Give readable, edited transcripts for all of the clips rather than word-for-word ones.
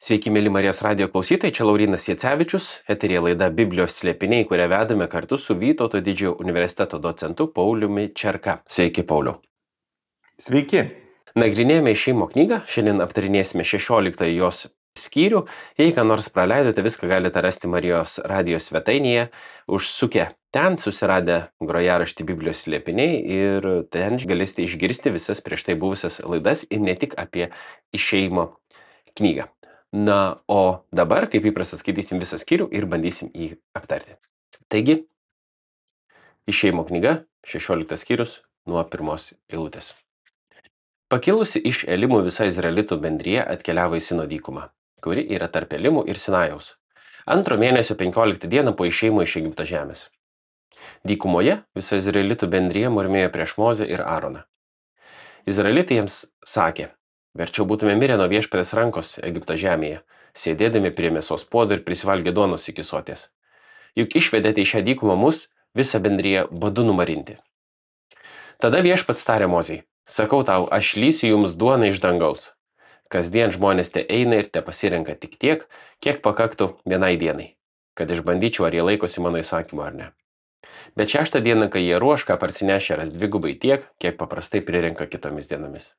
Sveiki, mėly Marijos radijo klausytojai, čia Laurynas Jacevičius, eterija laida Biblijos slėpiniai, kurią vedame kartu su Vytauto didžiojo universiteto docentu Pauliumi Čerka. Sveiki, Pauliau. Sveiki. Nagrinėjame išėjimo knygą, šiandien aptarinėsime 16 jos skyrių. Jei ką nors praleidote, viską galite rasti Marijos radijo svetainėje, užsukę ten, susiradę grojaraštį Biblijos slėpiniai ir ten galėsite išgirsti visas prieš tai buvusias laidas ir ne tik apie išėjimo knygą. Na, o dabar, kaip įprasta, skaitysim visą skyrių ir bandysim jį aptarti. Taigi, išėjimo knyga, 16 skyrius nuo 1 eilutės. Pakilusi iš Elimų visa Izraelitų bendrija atkeliavo į Sino dykumą, kuri yra tarp Elimų ir Sinajaus. 2 mėnesio 15 dieną po išėjimo iš Egipto žemės. Dykumoje visa Izraelitų bendrija murmėjo prieš Mozę ir Aaroną. Izraelitai jiems sakė: verčiau būtume mirę nuo viešpaties rankos Egipto žemėje, sėdėdami prie mėsos puodo ir prisivalgę duonos iki soties. Juk išvedėte į šią dykumą mus, visą bendriją badu numarinti. Tada viešpats tarė Mozei: sakau tau, aš lysiu jums duoną iš dangaus. Kasdien žmonės te eina ir te pasirenka tik tiek, kiek pakaktų vienai dienai, kad išbandyčiau, ar jie laikosi mano įsakymo ar ne. Bet 6 dieną, kai jie ruoš, ką parsinešė, ras dvigubai tiek, kiek paprastai prirenka kitomis dienomis.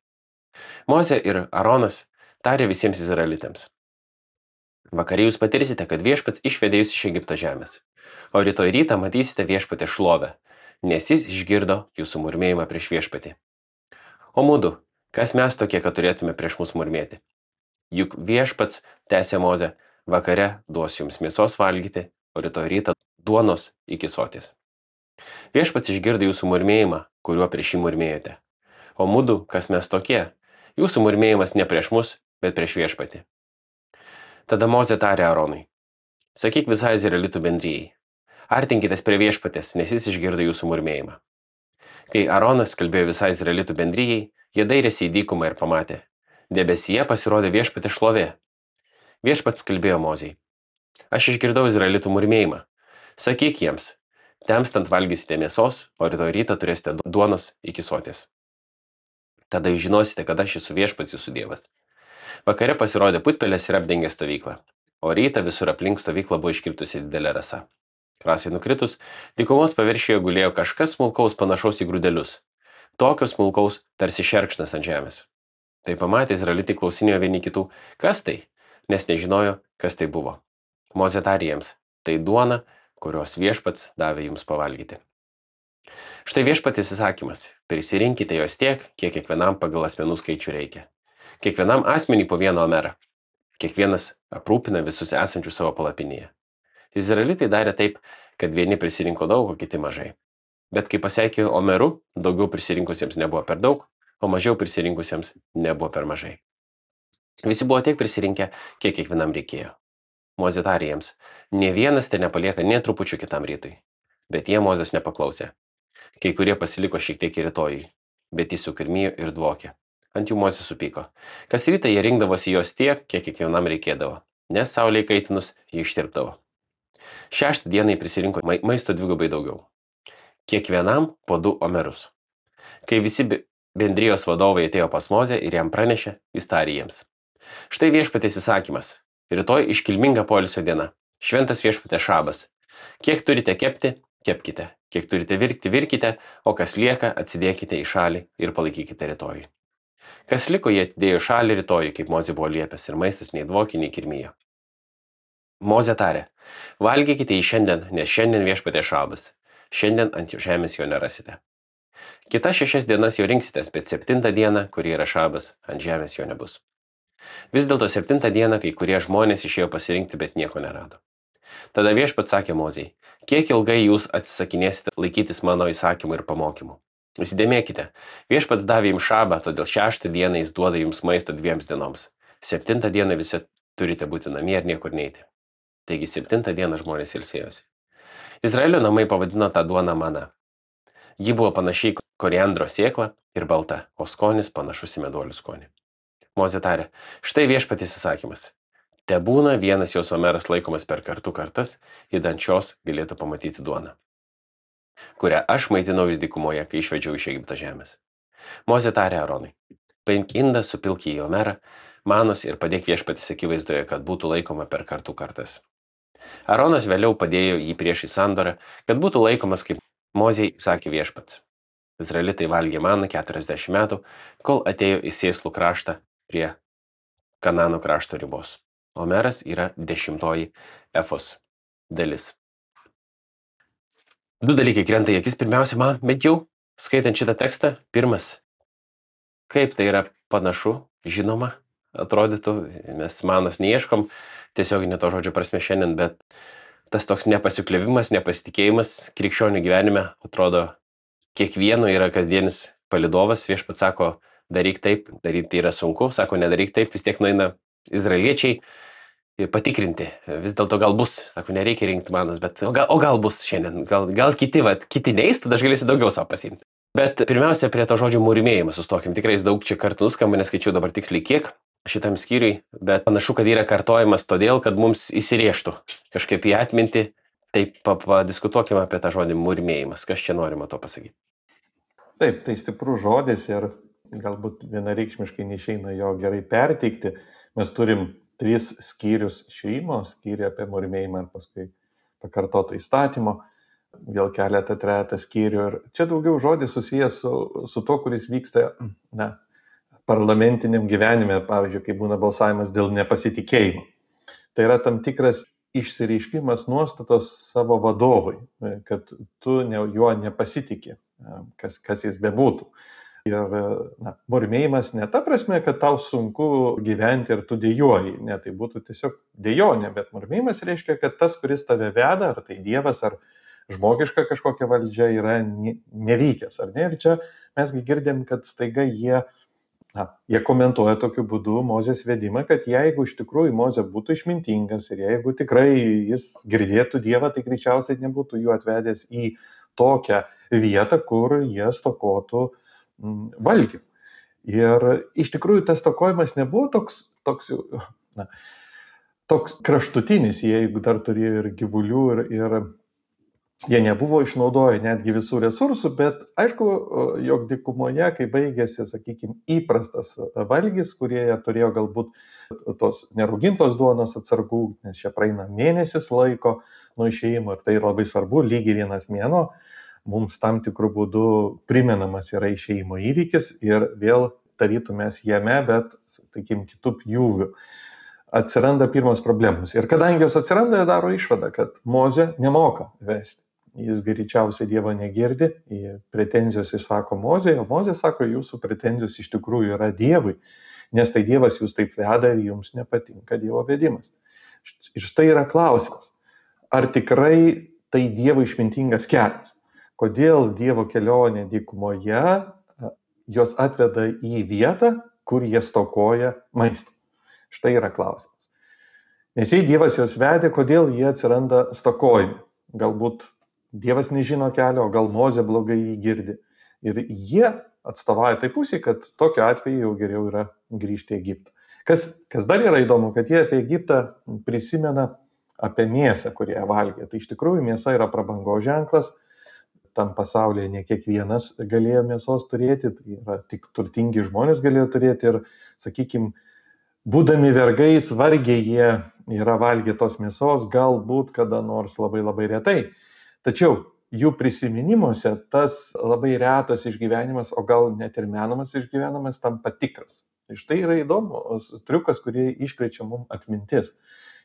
Mozė ir Aaronas tarė visiems izraelitams: vakare jūs patirsite, kad viešpats išvedė jūs iš Egipto žemės, o rytoj rytą matysite viešpatę šlovę, nes jis išgirdo jūsų murmėjimą prieš viešpatį. O mudu, kas mes tokie, kad turėtume prieš mus murmėti? Juk viešpats, tęsė Mozė, vakare duos jums mėsos valgyti, o rytoj rytą duonos iki soties. Viešpats išgirdo jūsų murmėjimą, kuriuo prieš jį murmėjote. O mudu, kas mes tokie? Jūsų murmėjimas ne prieš mus, bet prieš viešpatį. Tada Mozė tarė Aaronui: sakyk visai Izraelitų bendrijai, artinkitės prie viešpatės, nes jis išgirdo jūsų murmėjimą. Kai Aaronas kalbėjo visai Izraelitų bendrijai, jie dairėsi į dykumą ir pamatė: debesyje pasirodė viešpatės šlovė. Viešpats kalbėjo Mozei: aš išgirdau Izraelitų murmėjimą. Sakyk jiems: temstant valgysite mėsos, o rytoj rytą turėsite duonos iki soties. Tada jūs žinosite, kad aš esu viešpats jūsų dievas. Vakare pasirodė putpelės ir apdengė stovyklą, o rytą visur aplink stovyklą buvo iškritusi didelė rasa. Rasai nukritus, dykumos paviršiuje gulėjo kažkas smulkaus panašaus į grūdelius, tokios smulkaus tarsi šerkšnas ant žemės. Tai pamatė izraelitai klausinėjo vieni kitų: kas tai? Nes nežinojo, kas tai buvo. Mozė tarė jiems: tai duona, kurios viešpats davė jums pavalgyti. Štai viešpaties įsakymas: prisirinkite jos tiek, kiek kiekvienam pagal asmenų skaičių reikia. Kiekvienam asmeniui po 1 omerą. Kiekvienas aprūpina visus esančius savo palapinėje. Izraelitai darė taip, kad vieni prisirinko daug, o kiti mažai. Bet kai pasiekė omerų, daugiau prisirinkusiems nebuvo per daug, o mažiau prisirinkusiems nebuvo per mažai. Visi buvo tiek prisirinkę, kiek kiekvienam reikėjo. Mozė tarė jiems: nė vienas te nepalieka nė trupučių kitam rytui. Bet jie Mozės nepaklausė. Kai kurie pasiliko šiek tiek ir rytojui, bet jis sukirmijo ir dvokė. Ant jų Mozė supyko. Kas rytą jie rinkdavosi jos tiek, kiek kiekvienam reikėdavo, nes saulei kaitinus jie ištirpdavo. 6 dieną prisirinko maisto dvigubai daugiau. Kiekvienam po 2 omerus. Kai visi bendrijos vadovai atėjo pas Mozę ir jam pranešė, jis tarė jiems: štai viešpatės įsakymas. Rytoj iškilminga poilsio diena. Šventas viešpatės šabas. Kiek turite kepti, kepkite. Kiek turite virkti, virkite, o kas lieka, atsidėkite į šalį ir palaikykite rytojui. Kas liko, jie atidėjo šalį rytojui, kaip Mozė buvo liepęs, ir maistas nei dvokė, nei kirmijo. Mozė tarė: valgykite jį šiandien, nes šiandien viešpatės šabas. Šiandien ant žemės jo nerasite. Kitas 6 dienas jo rinksitės, bet 7 dieną, kuri yra šabas, ant žemės jo nebus. Vis dėlto 7 dieną kai kurie žmonės išėjo pasirinkti, bet nieko nerado. Tada viešpats sakė Mozei: kiek ilgai jūs atsisakinėsite laikytis mano įsakymų ir pamokymų? Įsidėmėkite, viešpats davė jums šabą, todėl 6 dieną jis duoda jums maisto 2 dienoms. 7 dieną visi turite būti namie ir niekur neiti. Taigi 7 dieną žmonės ilsėjosi. Izraelio namai pavadino tą duoną mana. Ji buvo panašiai koriandro sėkla ir balta, o skonis panašus į meduolių skonį. Mozė tarė: štai viešpaties įsakymas. Tebūna vienas jos omeras laikomas per kartas, idant šios galėtų pamatyti duoną, kurią aš maitinau jūs dykumoje, kai išvedžiau iš Egipto žemės. Mozė tarė Aaronui: paimk indą, supilk į omerą, manos ir padėk viešpaties akivaizdoje, kad būtų laikoma per kartų kartas. Aronas vėliau padėjo jį prieš į sandorą, kad būtų laikomas kaip Mozei sakė viešpats. Izraelitai valgė maną 40 metų, kol atėjo į Sėslų kraštą prie Kanano krašto ribos. Omeras yra 10 efos dalis. Du dalykai krenta į akis pirmiausia man, bent jau, skaitant šitą tekstą. Pirmas, kaip tai yra panašu, žinoma, atrodytų, mes manos neieškom, tiesioginė to žodžio prasme šiandien, bet tas toks nepasikliavimas, nepasitikėjimas krikščionių gyvenime, atrodo, kiekvieno yra kasdienis palydovas. Viešpats sako, daryk taip, daryti tai yra sunku, sako, nedaryk taip, vis tiek nueina izraeliečiai patikrinti, vis dėlto gal bus, sako, nereikia rinkti manos, bet o gal bus šiandien, gal kiti neis, tada aš galėsiu daugiau savo pasiimti. Bet pirmiausia, prie to žodžio mūrimėjimas sustokim, tikrai jis daug čia kartų nuskamba, neskaičiau dabar tiksliai kiek šitam skyriui, bet panašu, kad yra kartojimas todėl, kad mums įsirėžtų kažkaip į atmintį. Tai padiskutuokime apie tą žodį mūrimėjimas, kas čia norima to pasakyti. Taip, tai stiprus žodis ir galbūt vienareikšmiškai neišeina jo gerai perteikti. Mes turim 3 skyrius išėjimo, skyrių apie mūrimėjimą ir paskui pakartoto įstatymo, vėl keletą, trejetą skyrių. Ir čia daugiau žodis susijęs su to, kuris vyksta parlamentiniam gyvenime, pavyzdžiui, kai būna balsavimas dėl nepasitikėjimo. Tai yra tam tikras išsireiškimas nuostatos savo vadovui, kad tu juo nepasitikė, kas jis bebūtų. Ir mūrimėjimas ne ta prasme, kad tau sunku gyventi ir tu dejuoji, ne, tai būtų tiesiog dejonė, bet mūrimėjimas reiškia, kad tas, kuris tave veda, ar tai Dievas, ar žmogiška kažkokia valdžia, yra nevykęs, ar ne? Ir čia mesgi girdėm, kad staiga jie komentuoja tokiu būdu Mozės vedimą, kad jeigu iš tikrųjų Mozė būtų išmintingas ir jeigu tikrai jis girdėtų Dievą, tai greičiausiai nebūtų jų atvedęs į tokią vietą, kur jie stokotų valgių. Ir iš tikrųjų tas stokojimas nebuvo toks kraštutinis, jeigu dar turėjo ir gyvulių ir jie nebuvo išnaudoję netgi visų resursų, bet aišku, jog dykumoje, kai baigėsi, sakykime, įprastas valgis, kurie turėjo galbūt tos neraugintos duonos atsargų, nes čia praeina mėnesis laiko nuo išėjimo ir tai labai svarbu, lygiai 1 mėnuo, mums tam tikrų būdų primenamas yra išėjimo įvykis ir vėl tarytų mes jame, bet, sakykime, kitų pjūvių. Atsiranda pirmos problemos. Ir kadangi jos atsiranda, jie daro išvadą, kad Mozė nemoka vesti. Jis greičiausiai Dievo negirdi, pretenzijos išsako Mozė, o Mozė sako, jūsų pretenzijos iš tikrųjų yra Dievui, nes tai Dievas jūs taip veda ir jums nepatinka Dievo vedimas. Ir štai yra klausimas, ar tikrai tai Dievo išmintingas kelias? Kodėl Dievo kelionė dykumoje jos atveda į vietą, kur jie stokoja maisto? Štai yra klausimas. Nes jei Dievas juos vedė, kodėl jie atsiranda stokojami? Galbūt Dievas nežino kelio, o gal Mozė blogai jį girdi. Ir jie atstovauja tai pusė, kad tokiu atveju jau geriau yra grįžti į Egiptą. Kas dar yra įdomu, kad jie apie Egiptą prisimena apie mėsą, kurią valgė. Tai iš tikrųjų mėsa yra prabangos ženklas. Tam pasaulyje ne kiekvienas galėjo mėsos turėti, tai yra tik turtingi žmonės galėjo turėti ir, sakykime, būdami vergais, vargiai jie yra valgę tos mėsos, galbūt kada nors labai labai retai. Tačiau jų prisiminimuose tas labai retas išgyvenimas, o gal net ir menamas išgyvenimas tampa tikras. Tai štai yra įdomus triukas, kurį iškrečia mums atmintis.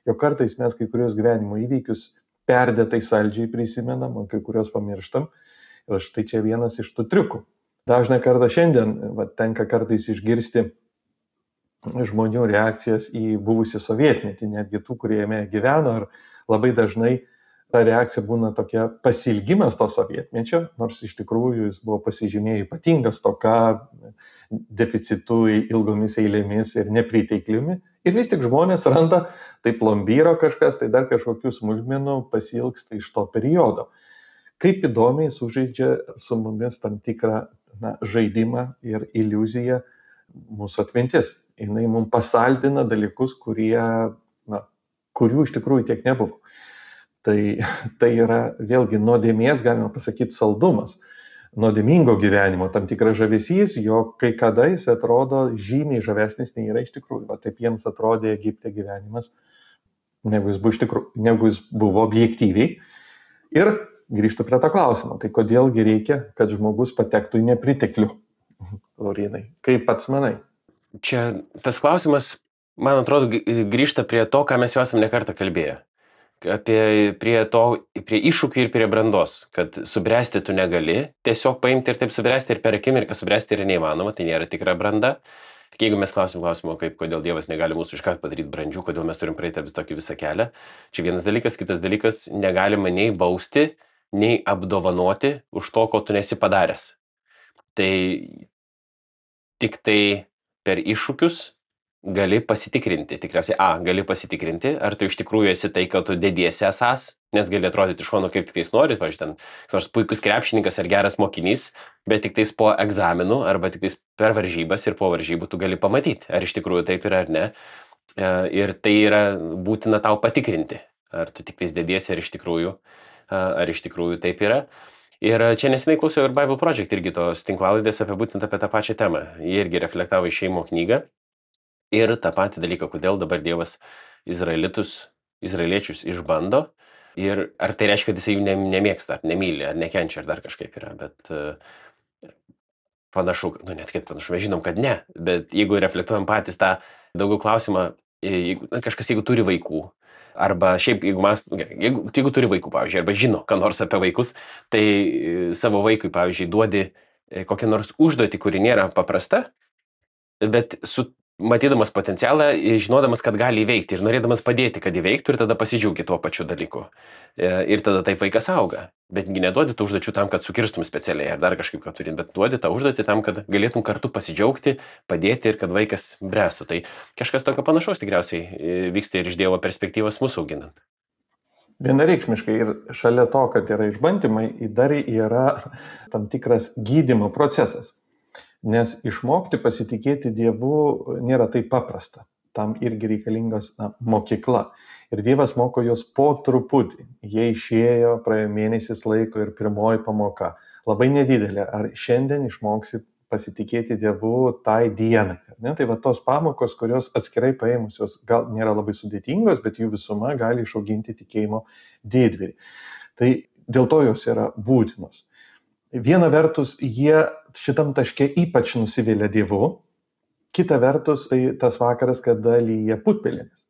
Jo kartais mes kai kurios gyvenimo įvykius perdėtai saldžiai prisimenam, o kai kurios pamirštam. Ir štai čia vienas iš tų triukų. Dažną kartą šiandien tenka kartais išgirsti žmonių reakcijas į buvusį sovietmetį, netgi tų, kurie jame gyveno, ir labai dažnai ta reakcija būna tokia pasilgimas to sovietmečio, nors iš tikrųjų jis buvo pasižymėję ypatinga stoka, deficitu, ilgomis eilėmis ir nepritekliumi. Ir vis tik žmonės randa, tai plombyro kažkas, tai dar kažkokių smulkmenų pasilgsta iš to periodo. Kaip įdomiai sužaidžia su mumis tam tikrą žaidimą ir iliuziją mūsų atmintis. Jis mums pasaldina dalykus, kurių iš tikrųjų tiek nebuvo. Tai yra vėlgi nuodėmės, galima pasakyti, saldumas. nuodėmingo gyvenimo, tam tikras žavesys, jog kai kada jis atrodo žymiai žavesnis nei yra iš tikrųjų. Va taip jiems atrodė Egipte gyvenimas, negu jis buvo objektyviai. Ir grįžtu prie to klausimo, tai kodėlgi reikia, kad žmogus patektų į nepriteklių? Laurynai, kaip pats manai? Čia tas klausimas, man atrodo, grįžta prie to, ką mes jau esame nekartą kalbėję. Prie iššūkių ir prie brandos, kad subręsti tu negali, tiesiog paimti ir taip subręsti ir per akimirką subręsti yra neįmanoma, tai nėra tikra branda. Jeigu mes klausimo, kodėl Dievas negali mūsų iškart padaryti brandžių, kodėl mes turim praeiti visą kelią, čia vienas dalykas, kitas dalykas, negalima nei bausti, nei apdovanoti už to, ko tu nesi padaręs. Tai tik tai per iššūkius gali pasitikrinti, tikriausiai, gali pasitikrinti, ar tu iš tikrųjų esi tai, kad tu dediesi esas, nes gali atrodyti iš šono kaip tik tais nori, pavyzdžiui, ten nors puikus krepšininkas ar geras mokinys, bet tik tais po egzaminų arba tik tais per varžybas ir po varžybų tu gali pamatyti, ar iš tikrųjų taip yra ar ne. Ir tai yra būtina tau patikrinti, ar tu tik tais dediesi, ar iš tikrųjų taip yra. Ir čia nesenai klausiau ir Bible Project irgi tos tinklalaidės būtent apie tą pačią temą. Jie irgi reflektavo Išėjimo knygą ir tą patį dalyką, kodėl dabar Dievas izraeliečius išbando ir ar tai reiškia, kad jisai jų nemėgsta, ar nemyli, ar nekenčia, ar dar kažkaip yra. Bet panašu, mes žinom, kad ne, bet jeigu reflektuojam patys tą daugiau klausimą, jeigu turi vaikų, arba šiaip, jeigu turi vaikų, pavyzdžiui, arba žino, ką nors apie vaikus, tai savo vaikui, pavyzdžiui, duodi kokią nors užduotį, kuri nėra paprasta, bet matydamas potencialą, žinodamas, kad gali įveikti ir norėdamas padėti, kad įveiktų ir tada pasidžiaugi tuo pačiu dalyku. Ir tada taip vaikas auga. Bet neduodi tų užduočių tam, kad sukirstum specialiai ar dar kažkaip ką turint, bet duodi tą užduotį tam, kad galėtum kartu pasidžiaugti, padėti ir kad vaikas bręstų. Tai kažkas tokio panašaus tikriausiai vyksta ir iš Dievo perspektyvos mūsų auginant. Vienareikšmiškai ir šalia to, kad yra išbandymai, dar yra tam tikras gydymo procesas. Nes išmokti pasitikėti Dievu nėra taip paprasta. Tam irgi reikalingas mokykla. Ir Dievas moko jos po truputį. Jie išėjo, praėjo mėnesis laiko ir pirmoji pamoka. Labai nedidelė. Ar šiandien išmoksi pasitikėti Dievu tai dienai? Tai va tos pamokos, kurios atskirai paėmusios gal nėra labai sudėtingos, bet jų visuma gali išauginti tikėjimo didvyrį. Tai dėl to jos yra būtinos. Viena vertus, jie šitam taške ypač nusivylė Dievu, kita vertus, tai tas vakaras, kada lyja putpelėmis.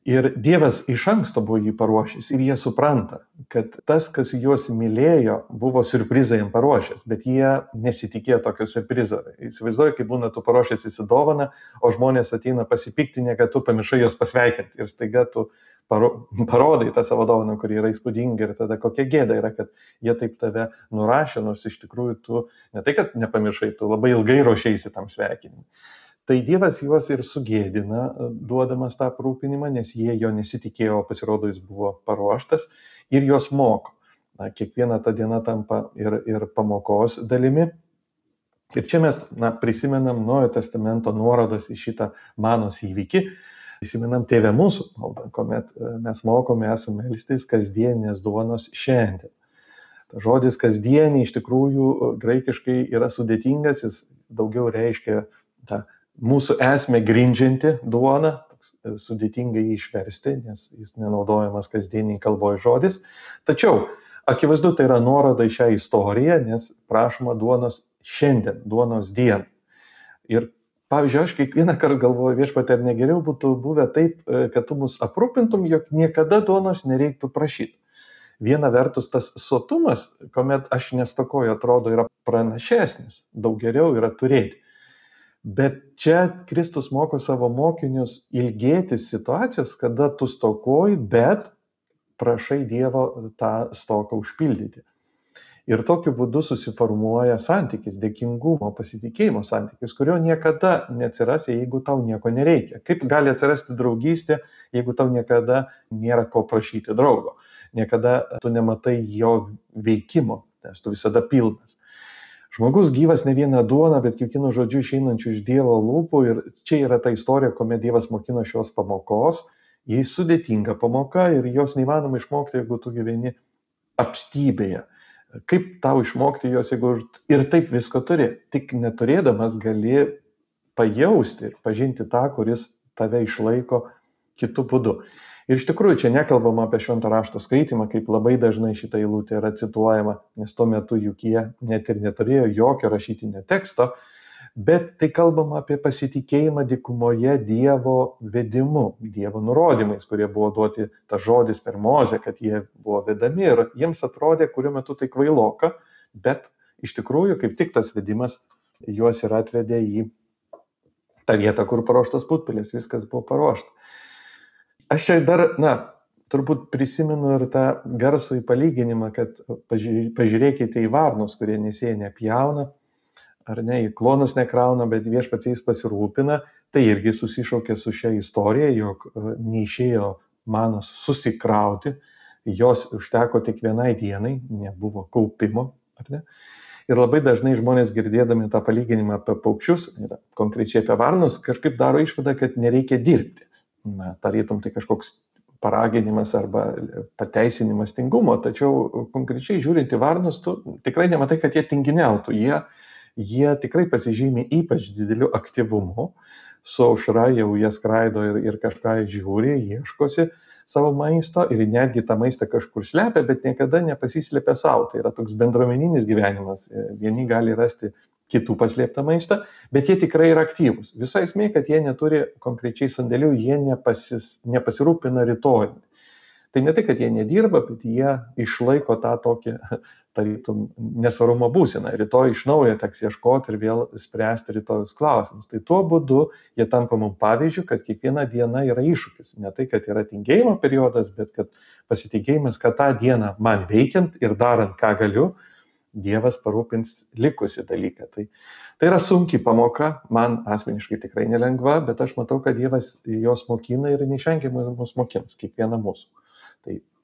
Ir Dievas iš anksto buvo jį paruošęs ir jie supranta, kad tas, kas juos mylėjo, buvo siurprizą jam paruošęs, bet jie nesitikėjo tokio siurprizo. Įsivaizduoju, kaip būna tu paruošęs įsidovaną, o žmonės ateina pasipiktinę, kad tu pamiršai jos pasveikinti ir staiga tu parodai tą savo dovaną, kuri yra įspūdinga ir tada kokia gėda yra, kad jie taip tave nurašė, nors iš tikrųjų tu ne tai, kad nepamiršai, tu labai ilgai ruošeisi tam sveikinimui. Tai Dievas juos ir sugėdina, duodamas tą aprūpinimą, nes jie jo nesitikėjo, pasirodo jis buvo paruoštas ir juos moko. Kiekviena ta diena tampa ir pamokos dalimi. Ir čia mes prisimenam Naujojo testamento nuorodas į šitą manos įvykį. Prisimenam Tėve mūsų maldą, kuomet mes mokome esame melstis kasdieninės duonos šiandien. Ta žodis kasdienį iš tikrųjų graikiškai yra sudėtingas, jis daugiau reiškia tą mūsų esmę grindžianti duona, sudėtingai jį išversti, nes jis nenaudojamas kasdieniai kalboje žodis. Tačiau akivaizdu tai yra nuoroda į šią istoriją, nes prašoma duonos šiandien, duonos dieną. Ir pavyzdžiui, aš kiekvieną kartą galvoju, Viešpatie, ar negeriau būtų buvę taip, kad tu mus aprūpintum, jog niekada duonos nereiktų prašyti. Viena vertus tas sotumas, kuomet aš nestokoju, atrodo yra pranašesnis, daug geriau yra turėti. Bet čia Kristus moko savo mokinius ilgėtis situacijos, kada tu stokoji, bet prašai Dievo tą stoką užpildyti. Ir tokiu būdu susiformuoja santykis, dėkingumo, pasitikėjimo santykis, kurio niekada neatsiras, jeigu tau nieko nereikia. Kaip gali atsirasti draugystė, jeigu tau niekada nėra ko prašyti draugo? Niekada tu nematai jo veikimo, nes tu visada pilnas. Žmogus gyvas ne vieną duoną, bet kiekvienu žodžiu išeinančių iš Dievo lūpų. Ir čia yra ta istorija, kuomet Dievas mokino šios pamokos. Jis sudėtinga pamoka ir jos neįmanoma išmokti, jeigu tu gyveni apstybėje. Kaip tau išmokti jos, jeigu ir taip visko turi, tik neturėdamas gali pajausti ir pažinti tą, kuris tave išlaiko kitų būdų. Ir iš tikrųjų čia nekalbama apie švento rašto skaitimą, kaip labai dažnai šitą eilutę yra cituojama, nes tuo metu juk jie net ir neturėjo jokio rašytinio teksto, bet tai kalbama apie pasitikėjimą dykumoje Dievo vedimu, Dievo nurodymais, kurie buvo duoti tas žodis per Mozę, kad jie buvo vedami ir jiems atrodė kuriuo metu tai kvailoka, bet iš tikrųjų kaip tik tas vedimas juos ir atvedė į tą vietą, kur paruoštas putpelės, viskas buvo paruošta. Aš čia dar, turbūt prisimenu ir tą garsų į palyginimą, kad pažiūrėkite į varnus, kurie nesėja nepjauna, ar ne, į klonus nekrauna, bet viešpats jais pasirūpina, tai irgi susišaukė su šia istorija, jog neišėjo manos susikrauti, jos užteko tik vienai dienai, nebuvo kaupimo, ar ne? Ir labai dažnai žmonės girdėdami tą palyginimą apie paukščius, konkrečiai apie varnus, kažkaip daro išvadą, kad nereikia dirbti. Tarytum tai kažkoks paraginimas arba pateisinimas tingumo, tačiau konkrečiai žiūrint į varnus, tu tikrai nematai, kad jie tinginiautų. Jie tikrai pasižymi ypač dideliu aktyvumu, su aušra jau jie skraido ir kažką žiūri, ieškosi savo maisto ir netgi tą maistą kažkur slepia, bet niekada nepasislepia savo. Tai yra toks bendruomeninis gyvenimas. Vieni gali rasti kitų paslėptą maistą, bet jie tikrai yra aktyvūs. Visa esmė, kad jie neturi konkrečiai sandėlių, jie nepasirūpina rytojumi. Tai ne tai, kad jie nedirba, bet jie išlaiko tą tokį, tarytum, nesvarumo būseną. Rytoj iš naujo teks ieškoti ir vėl spręsti rytojus klausimus. Tai tuo būdu jie tampa mums pavyzdžių, kad kiekviena diena yra iššūkis. Ne tai, kad yra tingėjimo periodas, bet kad pasitikėjimas, kad tą dieną man veikiant ir darant, ką galiu, Dievas parūpins likusi dalyką. Tai yra sunki pamoka, man asmeniškai tikrai nelengva, bet aš matau, kad Dievas jos mokina ir neišvengiamai mus mokins, kiekvieną mūsų.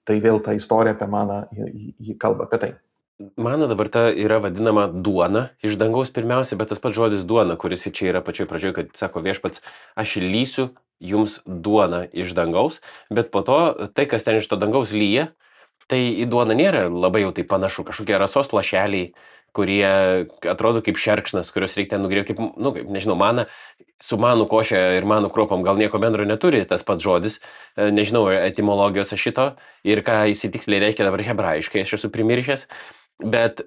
Tai vėl ta istorija apie maną, ji kalba apie tai. Mana dabar ta yra vadinama duona iš dangaus pirmiausia, bet tas pats žodis duona, kuris čia yra pačioj pradžioje, kad sako viešpats, aš lysiu jums duoną iš dangaus, bet po to tai, kas ten iš to dangaus lyja, tai į duoną nėra labai jau tai panašu, kažkokie rasos lašeliai, kurie atrodo kaip šerkšnas, kurios reikia nugriebti, kaip, nežinau, mana, su manų košė ir manų kruopom gal nieko bendro neturi tas pats žodis, nežinau etimologijos šito ir ką jis tiksliai reiškia dabar hebrajiškai, aš esu primiršęs, bet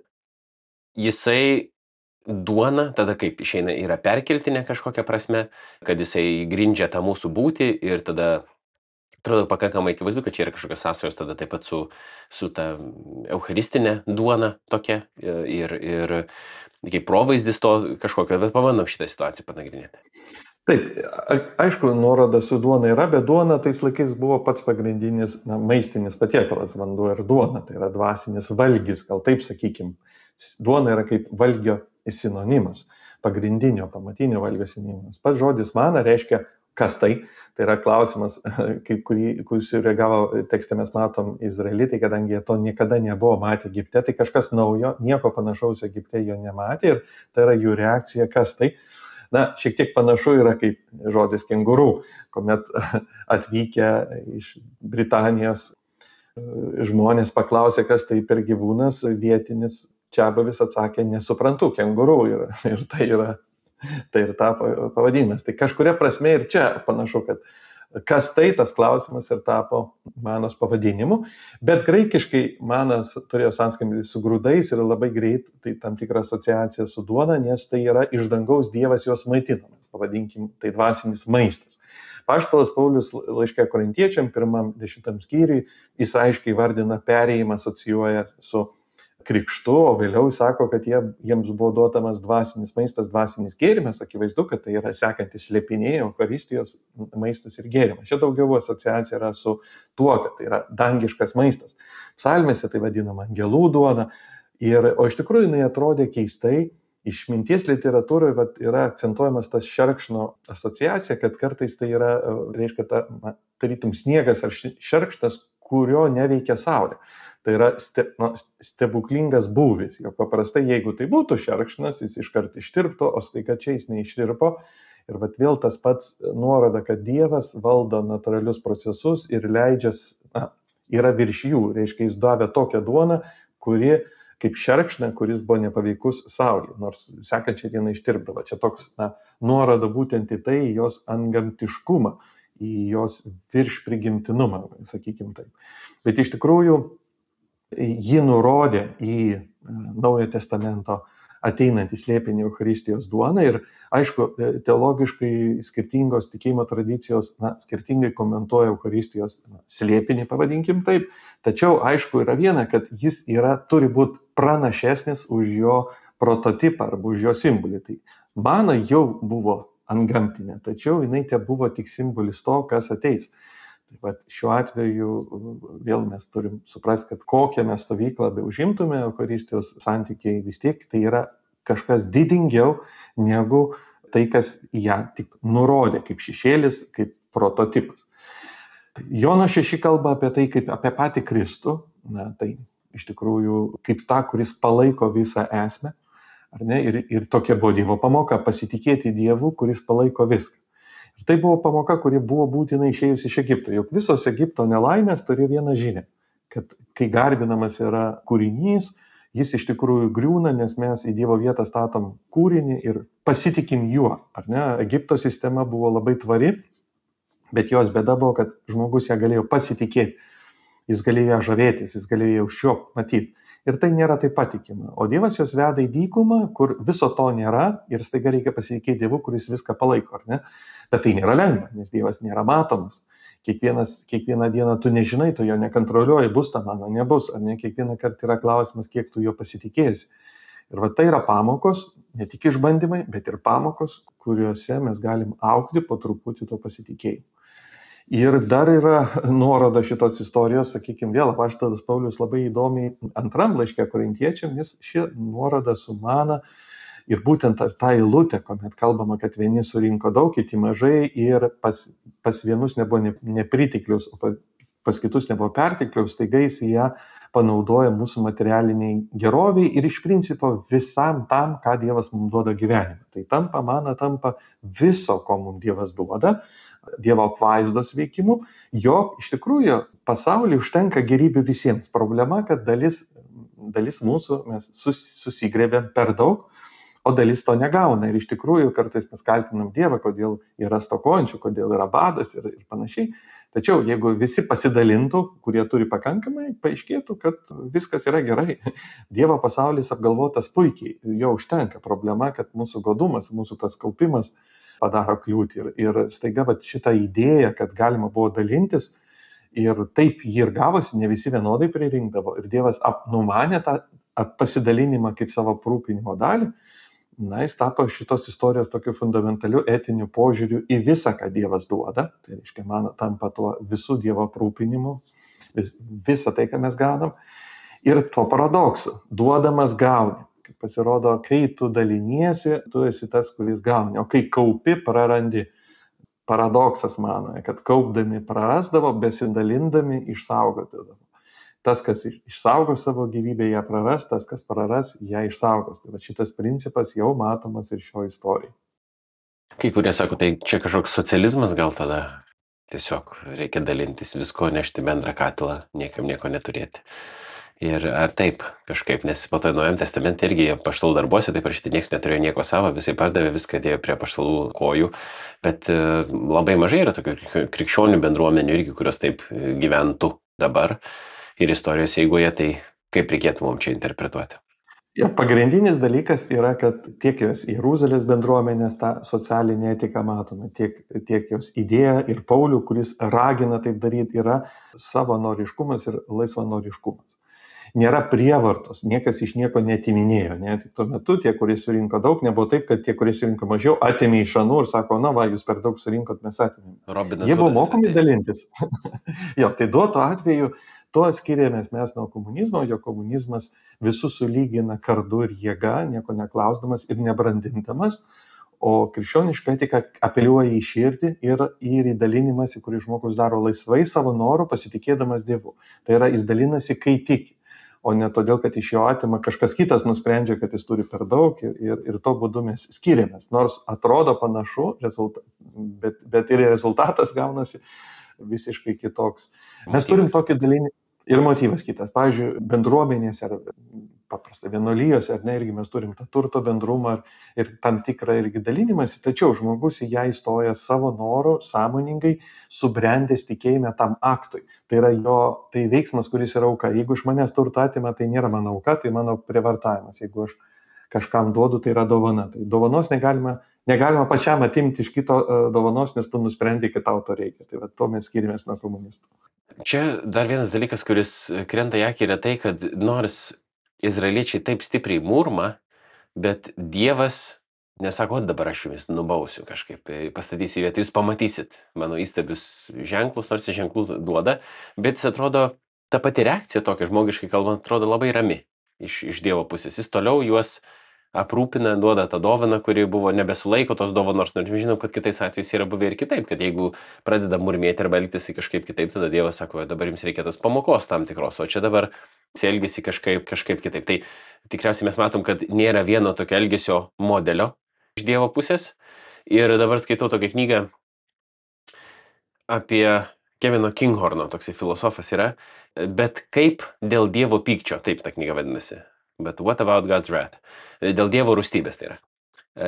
jisai duona tada kaip išeina yra perkeltinė kažkokia prasme, kad jisai grindžia tą mūsų būtį ir tada atrodo pakankamai akivaizdu, kad čia yra kažkokios sąsajos tada taip pat su ta eucharistinė duona tokia ir kaip provaizdis to kažkokio, bet pabandom šitą situaciją panagrinėti. Taip, aišku, nuoroda su duona yra, bet duona tais laikais buvo pats pagrindinis maistinis patiekalas, vanduo ir duona, tai yra dvasinis valgis, gal taip sakykim. Duona yra kaip valgio sinonimas, pagrindinio, pamatinio valgio sinonimas. Pats žodis mana reiškia kas tai yra klausimas, kaip kurį sureagavo tekste mes matom izraelitai, kadangi jie to niekada nebuvo matę Egipte, tai kažkas naujo, nieko panašaus Egipte jo nematė ir tai yra jų reakcija, kas tai. Šiek tiek panašu yra kaip žodis kengurų, kuomet atvykę iš Britanijos žmonės paklausė, kas tai per gyvūnas, vietinis čiabuvis atsakė, nesuprantu, kengurų ir tai ir tapo pavadinimas. Tai kažkuria prasme ir čia panašu, kad kas tai tas klausimas ir tapo manos pavadinimu, bet graikiškai manas turėjo sanskambį su grūdais ir labai greit tai tam tikra asociacija su duona, nes tai yra iš dangaus Dievas juos maitinamas, pavadinkim, tai dvasinis maistas. Apaštalas Paulius laiške Korintiečiam 1:10 skyriui jis aiškiai vardina perėjimą, asocijuoja su krikštu, o vėliau sako, kad jiems buvo duotamas dvasinis maistas, dvasinis gėrimas, akivaizdu, kad tai yra sekantis slėpiniai, eucharistijos maistas ir gėrimas. Čia daugiau asociacija yra su tuo, kad tai yra dangiškas maistas. Psalmėse tai vadinama angelų duona, o iš tikrųjų jinai atrodė keistai. Išminties literatūroje yra akcentuojamas tas šerkšno asociacija, kad kartais tai yra, reiškia, tarytum sniegas ar šerkšnas, kurio neveikia saulė. Tai yra stebuklingas būvis. Jo paprastai, jeigu tai būtų šerkšnas, jis iškart ištirptų, o staiga čia jis neištirpo. Ir vėl tas pats nuoroda, kad Dievas valdo natūralius procesus ir leidžia, yra virš jų. Reiškia, jis davė tokią duoną, kuri kaip šerkšną, kuris buvo nepaveikus saulė, nors sekančią dieną ištirpdavo. Čia toks nuoroda būtent į tai, į jos antgamtiškumą, į jos viršprigimtinumą, sakykime taip. Bet iš tikrųjų ji nurodė į Naujojo testamento ateinantį slėpinį Eucharistijos duoną ir, aišku, teologiškai skirtingos tikėjimo tradicijos skirtingai komentuoja Eucharistijos slėpinį, pavadinkim taip, tačiau aišku yra viena, kad jis turi būti pranašesnis už jo prototipą arba už jo simbolį. Tai mana jau buvo antgamtinė, tačiau jinai te buvo tik simbolis to, kas ateis. Bet šiuo atveju vėl mes turim suprasti, kad kokią mes stovyklą be užimtume, Eucharistijos santykiai vis tiek tai yra kažkas didingiau negu tai, kas ją tik nurodė, kaip šešėlis, kaip prototipas. Jono 6 kalba apie tai, kaip apie patį Kristų, tai iš tikrųjų kaip tą, kuris palaiko visą esmę, ar ne? Ir tokia buvo Dievo pamoka, pasitikėti Dievu, kuris palaiko viską. Ir tai buvo pamoka, kuri buvo būtina išėjus iš Egipto. Juk visos Egipto nelaimės turėjo vieną žinią, kad kai garbinamas yra kūrinys, jis iš tikrųjų griūna, nes mes į Dievo vietą statom kūrinį ir pasitikim juo. Ar ne? Egipto sistema buvo labai tvari, bet jos bėda buvo, kad žmogus ją galėjo pasitikėti. Jis galėjo ją žavėtis, jis galėjo už šio matyti. Ir tai nėra taip patikima. O Dievas jos veda į dykumą, kur viso to nėra ir staiga reikia pasitikėti Dievu, kuris viską palaiko, ar ne? Bet tai nėra lengva, nes Dievas nėra matomas. Kiekvieną dieną tu nežinai, tu jo nekontroliuoji, bus ta mano, nebus, ar ne? Kiekvieną kartą yra klausimas, kiek tu jo pasitikėsi. Ir va tai yra pamokos, ne tik išbandymai, bet ir pamokos, kuriuose mes galim augti po truputį to pasitikėjimo. Ir dar yra nuoroda šitos istorijos, sakykime, vėl apaštalas Paulius labai įdomiai antram laiške Korintiečiam, jis ši nuoroda sumana ir būtent tą eilutę, kuomet kalbama, kad vieni surinko daug, kiti mažai ir pas vienus nebuvo nepritiklius, o pas kitus nebuvo pertiklius, taigi jis ją panaudoja mūsų materialiniai geroviai ir iš principo visam tam, ką Dievas mums duoda gyvenime. Tai tampa viso, ko mums Dievas duoda, Dievo apvaizdos veikimu, jog iš tikrųjų pasaulyje užtenka gėrybių visiems. Problema, kad dalis mūsų mes susigrėbėm per daug, o dalis to negauna. Ir iš tikrųjų kartais mes kaltinam Dievą, kodėl yra stokojančių, kodėl yra badas ir panašiai. Tačiau jeigu visi pasidalintų, kurie turi pakankamai, paaiškėtų, kad viskas yra gerai. Dievo pasaulis apgalvotas puikiai, jo užtenka. Problema, kad mūsų godumas, mūsų tas kaupimas padaro kliūtį. Ir staiga šitą idėją, kad galima buvo dalintis ir taip jį ir gavosi, ne visi vienodai pririnkdavo. Ir Dievas numanė tą pasidalinimą kaip savo aprūpinimo dalį. Jis tapo šitos istorijos tokiu fundamentaliu etiniu požiūriu į visą, ką Dievas duoda. Tai reiškia, man tampa tuo visų Dievo aprūpinimu, visą tai, ką mes gaunam. Ir tuo paradoksu, duodamas gauni. Pasirodo, kai tu daliniesi, tu esi tas, kuris gauni, o kai kaupi, prarandi. Paradoksas mano, kad kaupdami prarasdavo, besidalindami išsaugodavo. Tas, kas išsaugo savo gyvybę, ją praras, tas, kas praras, ją išsaugos. Tai šitas principas jau matomas ir šio istorijai. Kai kurie sako, tai čia kažkoks socializmas gal tada? Tiesiog reikia dalintis visko, nešti bendrą katilą, niekam nieko neturėti. Ir ar taip kažkaip, nes po to Naujajam testamente irgi apaštalų darbuose, taip parašyti, niekas neturėjo nieko savo, visai pardavė, viską dėjo prie apaštalų kojų, bet labai mažai yra tokių krikščionių bendruomenių irgi, kurios taip gyventų dabar ir istorijos eigoje, tai kaip reikėtų mums čia interpretuoti? Ja, pagrindinis dalykas yra, kad tiek jos Jeruzalės bendruomenės tą socialinę etiką matome, tiek jos idėja ir Paulių, kuris ragina taip daryti, yra savanoriškumas ir laisvanoriškumas. Nėra prievartos, niekas iš nieko netiminėjo. Ne? Tai tuo metu tie, kurie surinko daug, nebuvo taip, kad tie, kurie surinko mažiau, atėmė iš anų ir sako, jūs per daug surinkot, mes atėmėme. Jie buvo mokomi dalintis. Jo, tai duoto atveju to skiriamės mes nuo komunizmo, jo komunizmas visus sulygina kardu ir jėga, nieko neklausdamas ir nebrandindamas, o krikščioniška etika apeliuoja į širdį ir į dalinimąsi, kurį žmogus daro laisvai savo noru, pasitikėdamas Dievu. Tai yra, jis dalinasi, kai tiki. O ne todėl, kad iš jo atima kažkas kitas nusprendžia, kad jis turi per daug ir to būdu mes skiriamės. Nors atrodo panašu, bet ir rezultatas gaunasi visiškai kitoks. Mes turim tokį dalinį ir motyvas kitas. Pavyzdžiui, bendruomenėse ar paprastai vienuolijose, ar ne, irgi mes turim tą turto bendrumą ir tam tikrą irgi dalinimąsi, tačiau žmogus į ją įstoja savo noru, sąmoningai, subrendęs tikėjime tam aktui. Tai yra tai veiksmas, kuris yra auka. Jeigu iš manęs turtą atima, tai nėra mano auka, tai mano prievartavimas. Jeigu aš kažkam duodu, tai yra dovana. Tai dovanos negalima pačiam atimti iš kito dovanos, nes tu nusprendai, kad tau to reikia. Tai va, to mes skiriamės nuo komunistų. Čia dar vienas dalykas, kuris krenta į akį, yra tai, kad nors izraeliečiai taip stipriai murma, bet Dievas nesako, dabar aš jumis nubausiu kažkaip, pastatysiu į vietą, jūs pamatysit mano įstabius ženklus, nors ženklų duoda, bet jis atrodo, ta pati reakcija tokia, žmogiškai kalbant, atrodo labai rami iš Dievo pusės. Jis toliau juos aprūpina, duoda tą dovaną, kuri buvo nebesulaiko tos dovanos, nors žinom, kad kitais atvejais yra buvę ir kitaip, kad jeigu pradeda murmėti arba elgtis kažkaip kitaip, tada Dievas sako, dabar jums reikia tos pamokos tam tikros, o čia dabar jis elgesi kažkaip kitaip. Tai tikriausiai mes matom, kad nėra vieno tokio elgesio modelio iš Dievo pusės. Ir dabar skaitau tokią knygą apie Kevino Kinghorno, toksai filosofas yra, bet kaip dėl Dievo pykčio, taip ta knyga vadinasi. But what about God's wrath? Dėl Dievo rūstybės tai yra,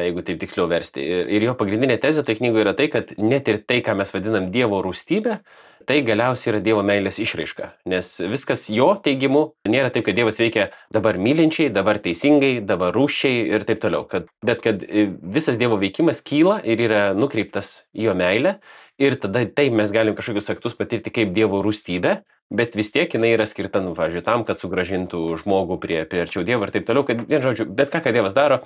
jeigu taip tiksliau versti. Ir jo pagrindinė tezė tai knygoje yra tai, kad net ir tai, ką mes vadinam Dievo rūstybė, tai galiausiai yra Dievo meilės išraiška. Nes viskas jo teigimu nėra taip, kad Dievas veikia dabar mylinčiai, dabar teisingai, dabar rūsčiai ir taip toliau. Bet kad visas Dievo veikimas kyla ir yra nukreiptas į jo meilę. Ir tada taip mes galim kažkokius aktus patirti kaip Dievo rūstybę, bet vis tiek jinai yra skirta, pavyzdžiui, tam, kad sugrąžintų žmogų prie arčiau Dievo ir taip toliau, kad vien žodžiu, bet ką Dievas daro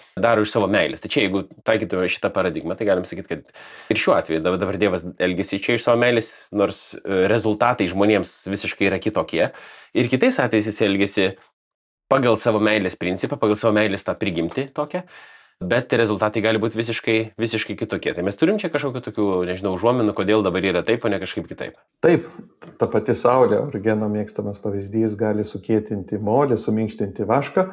iš savo meilės. Tai čia, jeigu taikytume šitą paradigmą, tai galim sakyti, kad ir šiuo atveju dabar Dievas elgesi čia iš savo meilės, nors rezultatai žmonėms visiškai yra kitokie. Ir kitais atvejais jis elgesi pagal savo meilės principą, pagal savo meilės tą prigimtį tokią. Bet rezultatai gali būti visiškai kitokie. Tai mes turim čia kažkokių tokių, nežinau, užuominų, kodėl dabar yra taip, o ne kažkaip kitaip. Taip, ta pati saulė, Origeno mėgstamas pavyzdys, gali sukėtinti molį, suminkštinti vašką.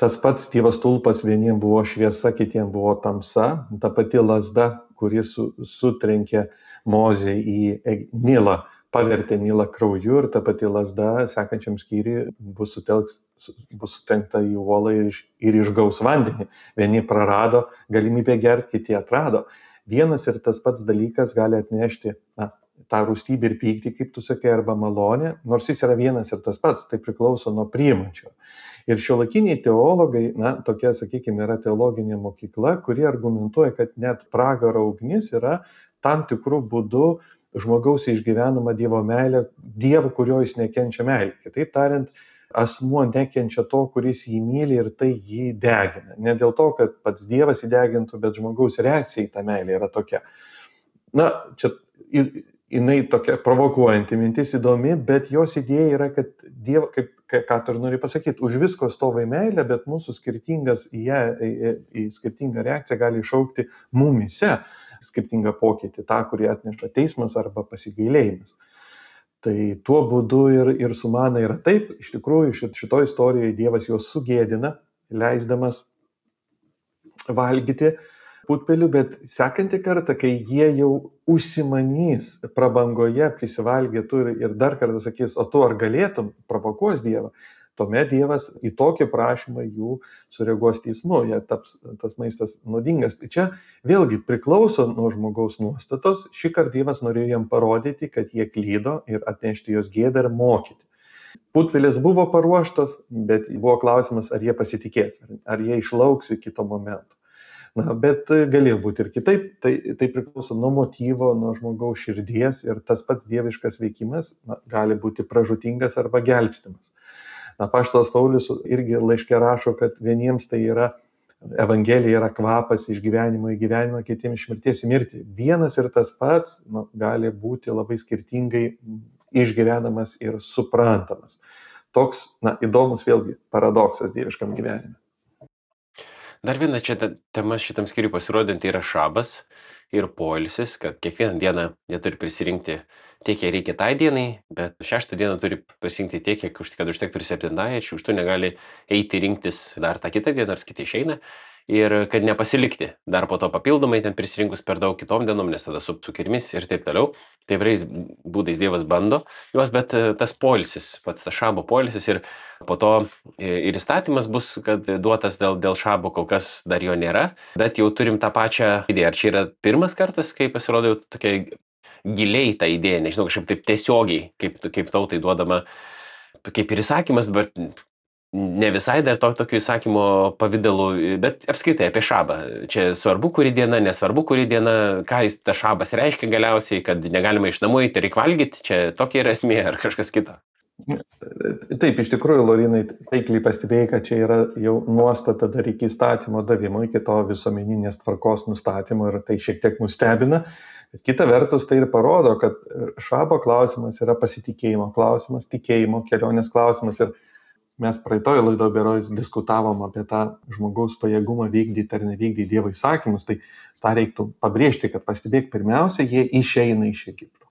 Tas pats Dievas tulpas, vieniem buvo šviesa, kitiem buvo tamsa. Ta pati lazda, kuri sutrenkė Mozę į Nilą, pavertė Nilą krauju, ir ta pati lazda sekančiam skyriui bus sutrenkta į uolą ir išgaus vandenį. Vieni prarado galimybę gerti, kiti atrado. Vienas ir tas pats dalykas gali atnešti tą rūstybę ir pyktį, kaip tu sakai, arba malonę, nors jis yra vienas ir tas pats, tai priklauso nuo priimančio. Ir šiuolaikiniai teologai, tokia, sakykime, yra teologinė mokykla, kuri argumentuoja, kad net pragaro ugnis yra tam tikrų būdų žmogaus išgyvenama Dievo meilė, Dievo, kurio jis nekenčia meilė. Kitaip tariant, asmuo nekenčia to, kuris jį myli, ir tai jį degina. Ne dėl to, kad pats Dievas įdegintų, bet žmogaus reakcija į tą meilę yra tokia. Čia jinai tokia provokuojanti mintis, įdomi, bet jos idėja yra, kad Dievas, ką tu nori pasakyti, už visko stovi meilė, bet mūsų skirtingą reakciją gali iššaukti mumyse skirtingą pokytį, tą, kurį atneša teismas arba pasigailėjimas. Tai tuo būdu ir su mana yra taip, iš tikrųjų šitoje istorijoje Dievas juos sugėdina, leisdamas valgyti putpelių, bet sekantį kartą, kai jie jau užsimanys prabangoje, prisivalgėtų ir dar kartą sakys, o tu ar galėtum, provokuos Dievą, tuomet Dievas į tokį prašymą jų sureaguos teismu, jie taps tas maistas nuodingas. Tai čia vėlgi priklauso nuo žmogaus nuostatos. Šį kartą Dievas norėjo jam parodyti, kad jie klydo, ir atnešti jos gėdą ir mokyti. Putpelis buvo paruoštos, bet buvo klausimas, ar jie pasitikės, ar jie išlauks iki kito momento. Bet galėjo būti ir kitaip, tai priklauso nuo motyvo, nuo žmogaus širdies, ir tas pats dieviškas veikimas gali būti pražūtingas arba gelbstimas. Apaštalas Paulius irgi laiške rašo, kad vieniems tai yra, Evangelija yra kvapas iš gyvenimo į gyvenimą, kitiems iš mirties į mirtį. Vienas ir tas pats gali būti labai skirtingai išgyvenamas ir suprantamas. Toks įdomus vėlgi paradoksas dieviškam gyvenime. Dar viena čia tema šitam skyriui pasirodinti yra šabas ir poilsis, kad kiekvieną dieną jie turi prisirinkti tiek, kiek reikia tai dienai, bet 6 dieną turi pasirinkti tiek, kad užtektų ir 7, ir 6 negali eiti rinktis dar tą kitą dieną, nors kiti išeina. ir kad nepasilikti dar po to papildomai ten prisirinkus per daug kitom dienom, nes tada su kirmis ir taip toliau. Tai įvairiais būdais Dievas bando juos, bet tas poilsis, pats tas šabo poilsis ir po to ir įstatymas bus, kad duotas dėl šabo, kol kas dar jo nėra, bet jau turim tą pačią idėją. Ar čia yra pirmas kartas, kai pasirodo jau tokia giliai ta idėja, nežinau, kažkaip taip tiesiogiai, kaip tautai duodama, kaip ir įsakymas, bet ne visai dar tokiu įsakymo pavidalu, bet apskritai apie šabą. Čia svarbu, kuri diena, nesvarbu, kuri diena, ką jis ta šabas reiškia galiausiai, kad negalima iš namų eiti, reikia valgyti, čia tokia yra esmė ar kažkas kita. Taip, iš tikrųjų, Laurinai, taikliai pastebėjai, kad čia yra jau nuostata dar iki įstatymo davimo, iki to visuomeninės tvarkos nustatymo ir tai šiek tiek nustebina. Bet kita vertus tai ir parodo, kad šabo klausimas yra pasitikėjimo klausimas, tikėjimo kelionės klausimas ir mes praeitoje laidoje berods diskutavom apie tą žmogaus pajėgumą vykdyti ar nevykdyti Dievo įsakymus, tai tą reiktų pabrėžti, kad pastebėk, pirmiausia, jie išeina iš Egipto.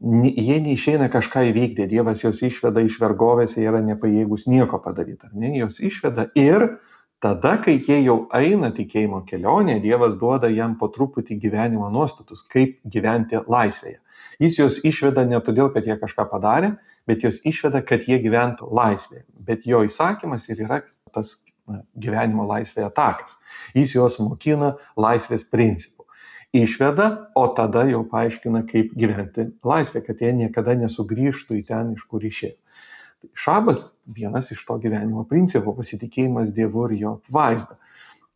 Jie neišeina kažką įvykdyti, Dievas jos išveda iš vergovės, jie yra nepajėgus nieko padaryti, ar ne, jos išveda ir tada, kai jie jau eina tikėjimo kelionė, Dievas duoda jam po truputį gyvenimo nuostatus, kaip gyventi laisvėje. Jis jos išveda ne todėl, kad jie kažką padarė, bet jos išveda, kad jie gyventų laisvėje. Bet jo įsakymas ir yra tas gyvenimo laisvėje takas. Jis juos mokina laisvės principų. Išveda, o tada jau paaiškina, kaip gyventi laisvę, kad jie niekada nesugrįžtų į ten, iš kur išėjo. Šabas vienas iš to gyvenimo principų, pasitikėjimas Dievu ir jo vaizdą.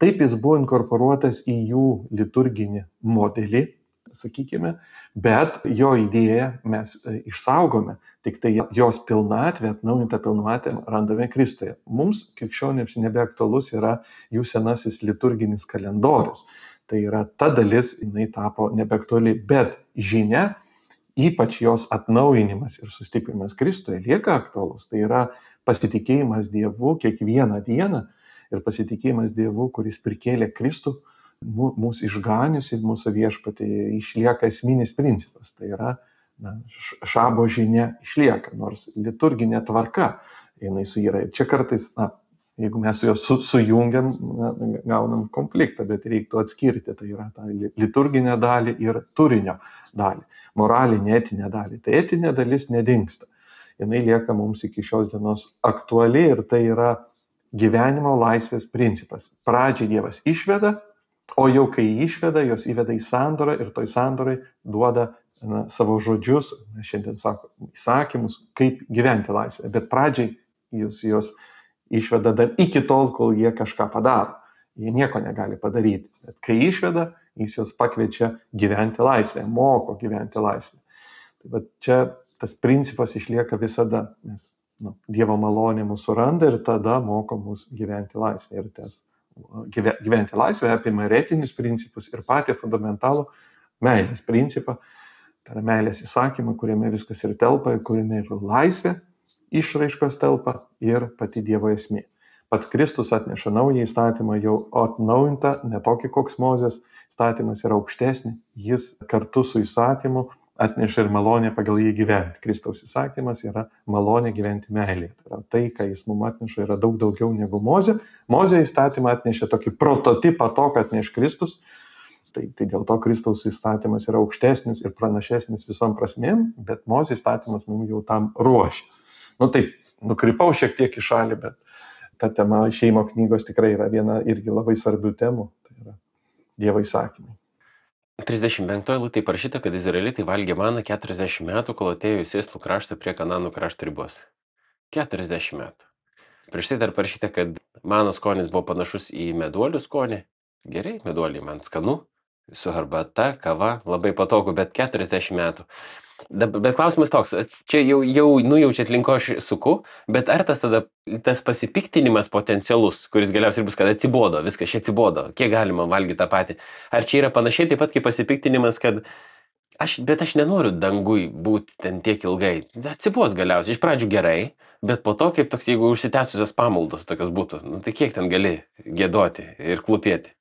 Taip jis buvo inkorporuotas į jų liturginį modelį, sakykime, bet jo idėją mes išsaugome, tik tai jos pilnatvę, atnaujintą pilnatvę randame Kristuje. Mums, krikščionėms, nebeaktualus yra jų senasis liturginis kalendorius. Tai yra ta dalis, jinai tapo nebeaktuali, bet žinia, ypač jos atnaujinimas ir sustiprinimas Kristuje lieka aktualus. Tai yra pasitikėjimas Dievu kiekvieną dieną ir pasitikėjimas Dievu, kuris prikėlė Kristų, mūsų išganiusi, mūsų viešpatį, išlieka esminis principas. Tai yra šabo žinia išlieka, nors liturginė tvarka jinai suyra. Čia kartais, jeigu mes su juos sujungiam, gaunam konfliktą, bet reiktų atskirti, tai yra tą liturginę dalį ir turinio dalį, moralinę, etinę dalį. Tai etinė dalis nedingsta. Jinai lieka mums iki šios dienos aktuali ir tai yra gyvenimo laisvės principas. Pradžiai Dievas išveda, o jau kai išveda, jos įveda į sandorą ir toj sandorai duoda savo žodžius, šiandien sako, įsakymus, kaip gyventi laisvę. Bet pradžiai jos išveda dar iki tol, kol jie kažką padaro. Jie nieko negali padaryti. Bet kai išveda, jis jos pakviečia gyventi laisvę, moko gyventi laisvę. Tai bet čia tas principas išlieka visada, nes Dievo malonė mūsų randa ir tada moko mus gyventi laisvę. Ir tas gyventi laisvę apima ir etinius principus ir patį fundamentalų meilės principą. Tai yra meilės įsakymą, kuriame viskas ir telpa, kuriame ir laisvė išraiškos telpa ir pati Dievo esmė. Pats Kristus atneša naują įstatymą, jau atnaujintą, ne tokį koks Mozės įstatymas yra aukštesnį, jis kartu su įstatymu atneša ir malonę pagal jį gyventi. Kristaus įsakymas yra malonė gyventi meilėje. Tai, ką jis mums atneša, yra daug daugiau negu Mozė. Mozė įstatymą atnešė tokį prototipą to, kad atneš Kristus. Tai dėl to Kristaus įstatymas yra aukštesnis ir pranašesnis visom prasmėm, bet Mozė įstatymas mums jau tam ruošia. Taip, nukrypau šiek tiek į šalį, bet ta tema Išėjimo knygos tikrai yra viena irgi labai svarbių temų. Tai yra Dievo įsakymai. 35 eilutėje parašyta, kad izraelitai valgė maną 40 metų, kol atėjo į Sėslų kraštą prie Kananų krašto ribos. 40 metų. Prieš tai dar parašyta, kad mano skonis buvo panašus į meduolių skonį. Gerai, meduoliai man skanu, su arbata, kava, labai patogu, bet 40 metų. Bet klausimas toks, čia jau nujaučiat link ko aš suku, bet ar tas pasipiktinimas potencialus, kuris galiausiai bus, kad atsibodo, viskas čia atsibodo, kiek galima valgyti tą patį. Ar čia yra panašiai taip pat kaip pasipiktinimas, kad aš nenoriu dangui būti ten tiek ilgai. Atsibos galiausiai, iš pradžių gerai, bet po to kaip toks, jeigu užsitęsusios pamaldos tokios būtų, tai kiek ten gali giedoti ir klūpėti.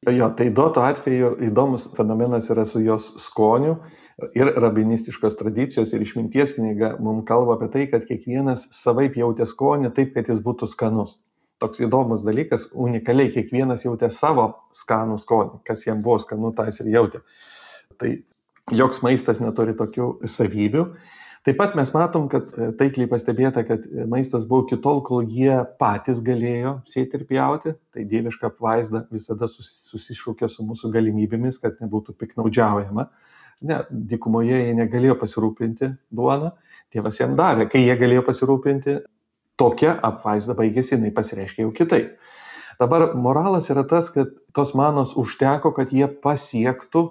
Jo, tai duoto atveju įdomus fenomenas yra su jos skoniu ir rabinistiškos tradicijos ir išminties knyga mums kalba apie tai, kad kiekvienas savaip jautė skonį taip, kad jis būtų skanus. toks įdomus dalykas, unikaliai kiekvienas jautė savo skanų skonį, kas jam buvo skanu, tas ir jautė. Tai joks maistas neturi tokių savybių. Taip pat mes matom, kad taikliai pastebėta, kad maistas buvo iki tol, kol jie patys galėjo sėti ir pjauti. Tai dieviška apvaizda visada susišaukia su mūsų galimybėmis, kad nebūtų piknaudžiaujama. Ne, dykumoje jie negalėjo pasirūpinti duoną, Dievas jam davė. Kai jie galėjo pasirūpinti, tokia apvaizda baigėsi, jinai pasireiškia jau kitaip. Dabar moralas yra tas, kad tos manos užteko, kad jie pasiektų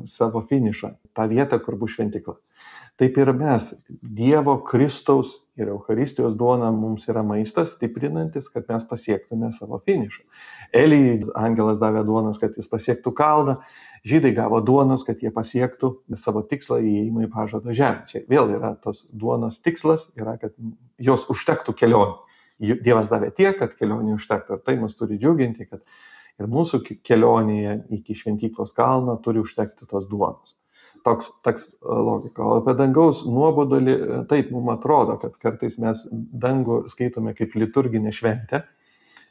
savo finišą, tą vietą, kur bus šventykla. Taip ir mes, Dievo, Kristaus ir Eucharistijos duona mums yra maistas stiprinantis, kad mes pasiektume savo finišą. Elijai angelas davė duonos, kad jis pasiektų kalną, žydai gavo duonos, kad jie pasiektų savo tikslą įėjimą į pažado žemę. Čia vėl yra tos duonos tikslas, yra, kad jos užtektų kelionį. Dievas davė tiek, kad kelionį užtektų. Ir tai mus turi džiuginti, kad ir mūsų kelionėje iki šventyklos kalno turi užtekti tos duonos. Toks logika. O apie dangaus nuobodulį, taip mums atrodo, kad kartais mes dangų skaitome kaip liturginę šventę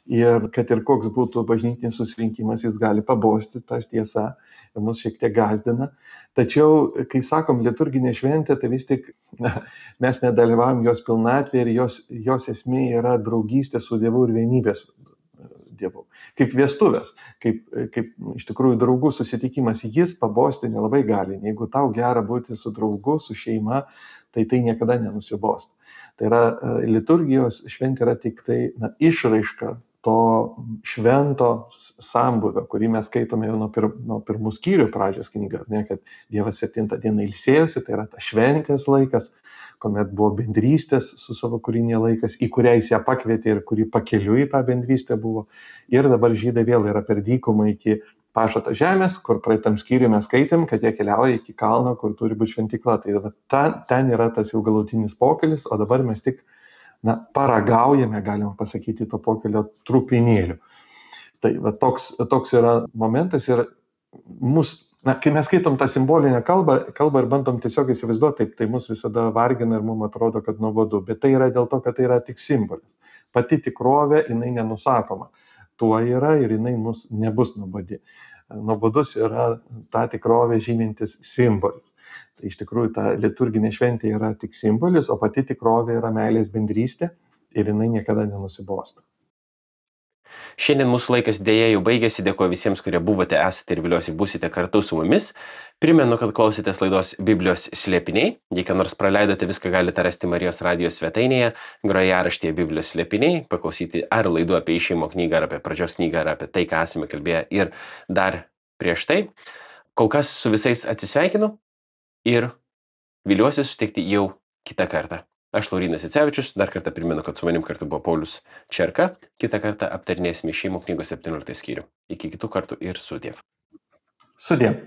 ir kad ir koks būtų bažnytinis susirinkimas, jis gali pabosti, tas tiesa, ir mus šiek tiek gazdina. Tačiau, kai sakom liturginė šventė, tai vis tik mes nedalyvavom jos pilnatvėje ir jos esmė yra draugystė su Dievu ir vienybė su Dievu. Kaip vestuvės, kaip iš tikrųjų draugų susitikimas, jis pabosti nelabai gali. Jeigu tau gera būti su draugu, su šeima, tai niekada nenusibost. Tai yra liturgijos šventė yra tik tai išraiška to švento sambūvio, kurį mes skaitome jau nuo pirmų skyrių pradžios knygą, ne, kad Dievas 7 dieną ilsėjosi, tai yra ta šventės laikas, kuomet buvo bendrystės su savo kūrinė laikas, į kurią jis ją pakvietė ir kuri pakeliui tą bendrystę buvo. Ir dabar žydai vėl yra per dykumą iki pažado žemės, kur praeitam skyriui mes skaitėm, kad jie keliauja iki kalno, kur turi būti šventykla. Tai ten yra tas jau galutinis pokelis, o dabar mes tik paragaujame, galima pasakyti, to pokelio trupinėlių. Tai toks yra momentas ir kai mes skaitom tą simbolinę kalbą ir bandom tiesiog įsivaizduoti, tai mus visada vargina ir mums atrodo, kad nuobodu, bet tai yra dėl to, kad tai yra tik simbolis. Pati tikrovė, jinai nenusakoma. Tuo yra ir jinai mus nebus nuobodi. Nuobodus yra ta tikrovė žymintis simbolis. Tai iš tikrųjų ta liturginė šventė yra tik simbolis, o pati tikrovė yra meilės bendrystė ir jinai niekada nenusibosta. Šiandien mūsų laikas dėja jau baigėsi, dėkoju visiems, kurie buvote, esate ir viliuosi būsite kartu su mumis. Primenu, kad klausėtės laidos Biblijos slėpiniai. Jei ką nors praleidote, viską galite rasti Marijos radijos svetainėje, grojaraštyje Biblijos slėpiniai, paklausyti ar laidų apie išėjimo knygą, ar apie pradžios knygą, ar apie tai, ką esame kalbėję ir dar prieš tai. Kol kas su visais atsisveikinu ir viliuosi susitikti jau kitą kartą. Aš Laurynas Icevičius, dar kartą primenu, kad su manim kartu buvo Paulius Čerka. Kitą kartą aptarinėsime išėjimo knygos 17 skyrių. Iki kitų kartų ir sudiev. Sudiev.